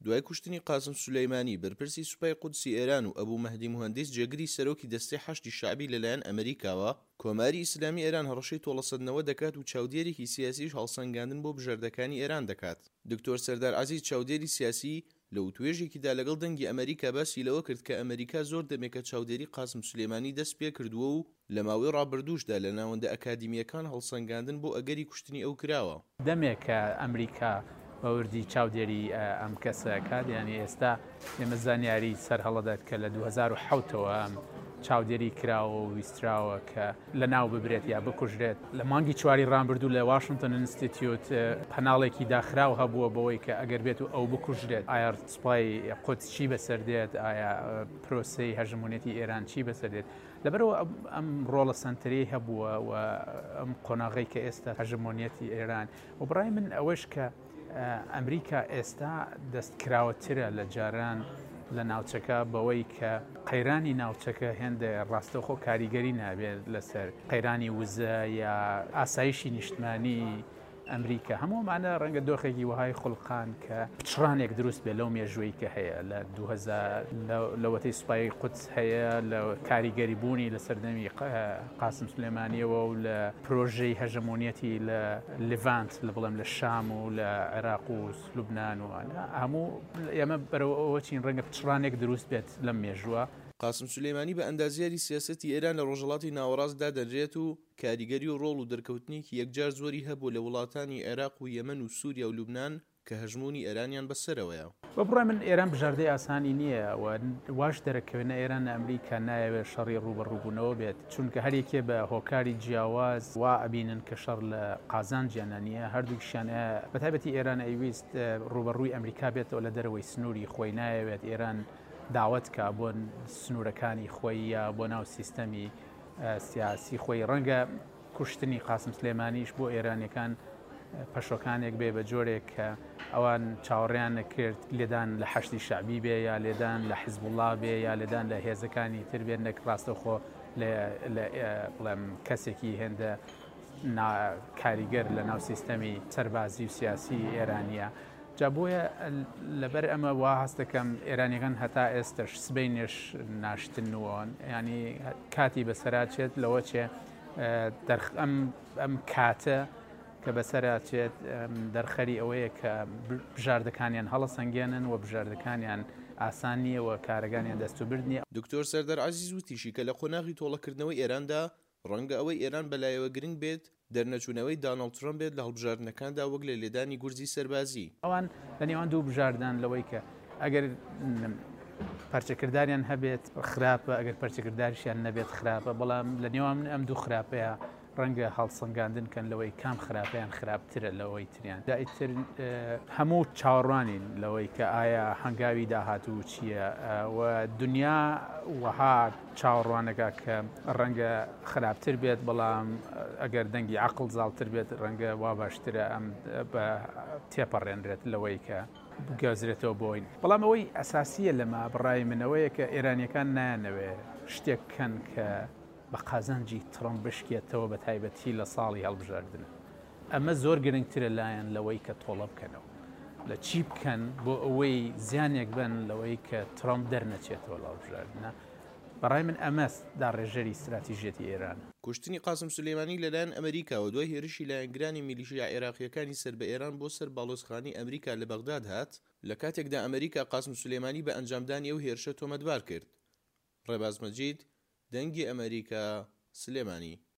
دوای کوشتنی قاسم سولەیمانی، بەرپرسی سوپای قودسی ئێران و ئەبو مەهدی موهەندیس جێگری سەرۆکی دەستەی حەشدی شەعبی لەلایەن ئەمریکاوە، کۆماری ئیسلامی ئێران هەڕەشەی تۆڵەسەندنەوە دەکات و چاودێرێکی سیاسیش هەڵسەنگاندن بۆ بژاردەکانی ئێران دەکات. دکتۆر سەردار عەزیز چاودێری سیاسی لە وتوێژێکیدا لەگەڵ دەنگی ئەمەریکا باسی لەوە کرد کە ئەمەریکا زۆر دەمێکە چاودێری قاسم سولێمانی دەست پێکردووە و لە ماوەی ڕابردووشدا لە ناوەندە ئەکادیمییەکان هەڵسەنگاندن بۆ ئەگەری کوشتنی ئەو کراوە. دەمێکە ئەمریکا بە وردی چاودێری ئەم کەسە ئەکات، یانی ئێستا ئێمە زانیاری سەرهەڵەدات کە لە 2007 ەوە ئەم چاودێری کراوە و ویستراوە کە لەناو ببرێت یا بکوژرێت. لە مانگی چواری ڕابردوو لە واشنتۆن ئینستیتیوت پەناڵێکی داخراو هەبووە بەوەی کە ئەگەر بێت و ئەو بکوژرێت ئایا سوپای قودس چی بەسەر دێت، ئایا پرۆسەی هەژمونێتی ئێران چی بەسەر دێت. لەبەرئەوە ئەم ڕۆڵە سەنتەرەی هەبووە و ئەم قۆناغەی کە ئێستا هەژمۆنیەتی ئێران و بڕای من ئەوەش کە ئەمریکا ئێستا دەستکراوەترە لە جاران لە ناوچەکە بەوەی کە قەیرانی ناوچەکە هێندە ڕاستەوخۆ کاریگەری نابێت لەسەر قەیرانی وزە یا ئاسایشی نیشتمانی ئەمریکا. هەموو ئەمانە ڕەنگە دۆخێکی وەهای خوڵقان کە پچڕانێک دروست بێت لەو مێژووەی کە هەیە لە 2000 لەوەتەی سوپای قودس هەیە لە کاریگەری بوونی لە سەردەمی قاسم سلێمانیەوە و لە پرۆژەی هەژەمۆنیەتی لە لیڤانت لە بڵێم لە شام و لە عێراق و لوبناان و هەموو ئێمە بەرەو ئەوە چین ڕەنگە پچڕانێک دروست بێت لەم مێژووە. قاسم سولەیمانی بە ئەندازیاری سیاسەتی ئێران لە ڕۆژهەڵاتی ناوەڕاست دادەنرێت و کاریگەری و ڕۆڵ و دەرکەوتنێکی یەکجار زۆری هەبووە لە وڵاتانی عێراق و یەمەن و سوریا و لوبنان کە هەژموونی ئێرانیان بەسەرەوەیە. بە بڕوای من ئێران بژاردەی ئاسانی نییە و واش دەرەکەوێت نە ئێران نە ئەمریکا نایەوێت شەڕی ڕووبەڕووبوونەوە بێت، چونکە هەر یەکێ بە هۆکاری جیاواز وا ئەبینن کە شەڕ لە قازانجیانە نییە، هەردووکیشیان بە تایبەتی ئێران ئەیویست ڕووبەڕووی ئەمریکا بێتەوە لە دەرەوەی سنووری خۆی، نایەوێت ئێران داوەت کا بۆ سنوورەکانی خۆی یا بۆ ناو سیستەمی سیاسی خۆی. ڕەنگە کوشتنی قاسم سلێمانیش بۆ ئێرانیەکان پەشۆکانێک بێ بە جۆرێک کە ئەوان چاوەڕێیان نەکرد لێدان لە حەشدی شەعبی بێ یا لێدان لە حزبوڵا بێ یا لێدان لە هێزەکانی تر بێ نەک ڕاستەوخۆ لە بڵێم کەسێکی هێندە کاریگەر لە ناو سیستەمی سەربازی و سیاسی ئێرانیە. جا بۆیە لەبەر ئەمە وا هەست دەکەم ئێرانیەکان هەتا ئێستەش سبەینێش ناشتنەوە ینی کاتی بەسەرا چێت لەوە چێ ئەم ئەم کاتە کە بەسەرا چێت دەرخەری ئەوەیە کە بژاردەکانیان هەڵەسەنگێنن و بژاردەکانیان ئاسان نییە و کارەکانیان دەستوبرد نییە. دکتۆر سەردار عەزیز وتیشی کە لە قۆناغی تۆڵەکردنەوەی ئێراندا ڕەنگە ئەوەی ئێران بەلایەوە گرنگ بێت، دەرنەچوونەوەی دانۆڵد ترەمپ بێت لە هەڵبژاردنەکاندا وەک لە لێدانی گورزی سەربازی. ئەوان لە نێوان دوو بژاردان لەوەی کە ئەگەر پەرچەکرداریان هەبێت خراپە، ئەگەر پەرچەکرداریشیان نەبێت خراپە، بەڵام لە نێوان ئەم دوو خراپەیە ڕەنگە هەڵسەنگاندن کەن لەوەی کام خراپەیان خراپترە لەوەی تریان. جا ئیتر هەموو چاوەڕوانین لەوەی کە ئایا هەنگاوی داهاتوو چییە و دنیا وەها چاوەڕوانەکە کە ڕەنگە خراپتر بێت، بەڵام ئەگەر دەنگی عەقڵ زاڵتر بێت ڕەنگە وا باشترە ئەم بە تێپەڕێنرێت لەوەی کە بگوازرێتەوە بۆین. بەڵام ئەوەی ئەساسییە لەمە بڕای من ئەوەیە کە ئێرانییەکان نایانەوێ شتێک بکەن کە بە قازانجی ترەمپ بشکێتەوە بە تایبەتی لە ساڵی هەڵبژاردن. ئەمە زۆر گرنگترە لایان لەوەی کە تۆڵە بکەنەوە لە چی بکەن بۆ ئەوەی زیانێک بن لەوەی کە ترەمپ دەرنەچێتەوە لە هەڵبژاردنە. بەڕای من ئەمە داڕێژەری ستراتیژیەتی ئێرانە. کوشتنی قاسم سولەیمانی لەلایەن ئەمریکاوە دوای هێرشی لایەنگرانی میلیشیا عێراقییەکانی سەر بە ئێران بۆ سەر باڵۆزخانەی ئەمریکا لە بەغداد هات، لە کاتێکدا ئەمریکا قاسم سولەیمانی بە ئەنجامدانی ئەو هێرشە تۆمەتبار کرد. ڕێباز مەجید، دەنگی ئەمەریکا، سلێمانی.